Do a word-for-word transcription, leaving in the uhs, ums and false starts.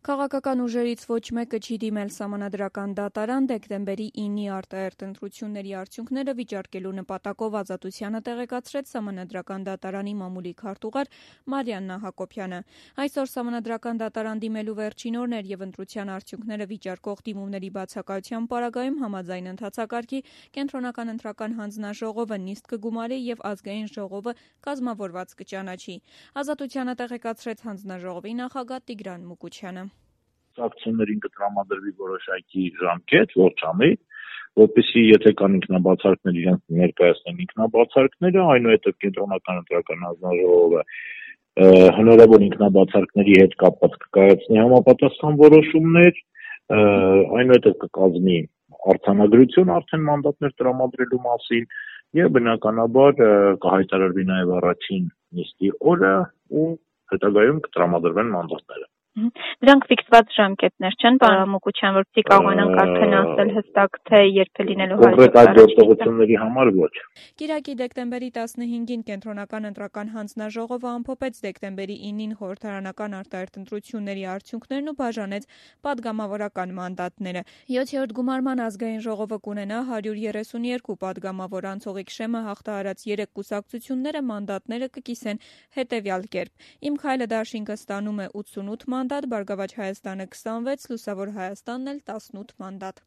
Քաղաքական ուժերից ոչ մեկը չի դիմել սահմանադրական դատարան դեկտեմբերի ինի արտահերթ ընտրությունների արդյունքները վիճարկելու նպատակով Ազատությանը տեղեկացրեց սահմանադրական դատարանի մամուլի քարտուղար Մարիաննա Հակոբյանը։ Այսօր սահմանադրական դատարան դիմելու վերջին օրն էր և ընտրության արդյունքները վիճարկող դիմումների բացակայության պարագայում համաձայն ընթացակարգի Կենտրոնական ընտրական հանձնաժողովը նիստ կգումարի և ազգային ժողովը կազմավորված կճանաչի։ Ազատությանը տեղեկացրեց հանձնաժողովի նախագահ Տիգրան Մուկուչյանը։ Ակցիաներին կտրամադրվի որոշակի ժամկետ, ողջամի, որպեսզի եթե կան ինքնաբացարկներ, իրենք ներկայացնեն ինքնաբացարկները, այնուհետև Կենտրոնական ընտրական հանձնաժողովը հնարավոր ինքնաբացարկների հետ կապված կկայացնի համապատասխան որոշումներ, այնուհետև կկազմի արձանագրություն արդեն մանդատներ տրամադրելու մասին եւ բնականաբար կհայտարարվի նաեւ առաջին նիստի օրը ու հետագայում կտրամադրվեն մանդատները։ Դրանք ֆիքսված ժամկետներ չեն, պարոն Մուկուչյան, որպեսզի կարողանանք արդեն ասել հստակ, թե երբ է լինելու կոնկրետ այդ գործողությունների համար ոչ։ Կիրակի դեկտեմբերի տասնհինգին Կենտրոնական ընտրական հանձնաժողովը ամփոփեց դեկտեմբերի ինին խորհրդարանական արտահերթ ընտրությունների արդյունքներն ու բաժանեց պատգամավորական մանդատները։ յոթերորդ գումարման ազգային ժողովը կունենա հարյուր երեսունյերկու պատգամավոր, անցողիկ շեմը հաղթահարած երեք կուսակցությունները մանդատները կկիսեն հետևյալ կերպ։ Իմ քայլը դաշինքը ստանում է ութսունութ մանդատ, Բարգավաճ Հայաստանը քսանվեց, Լուսավոր Հայաստանն էլ տասնութ մանդատ։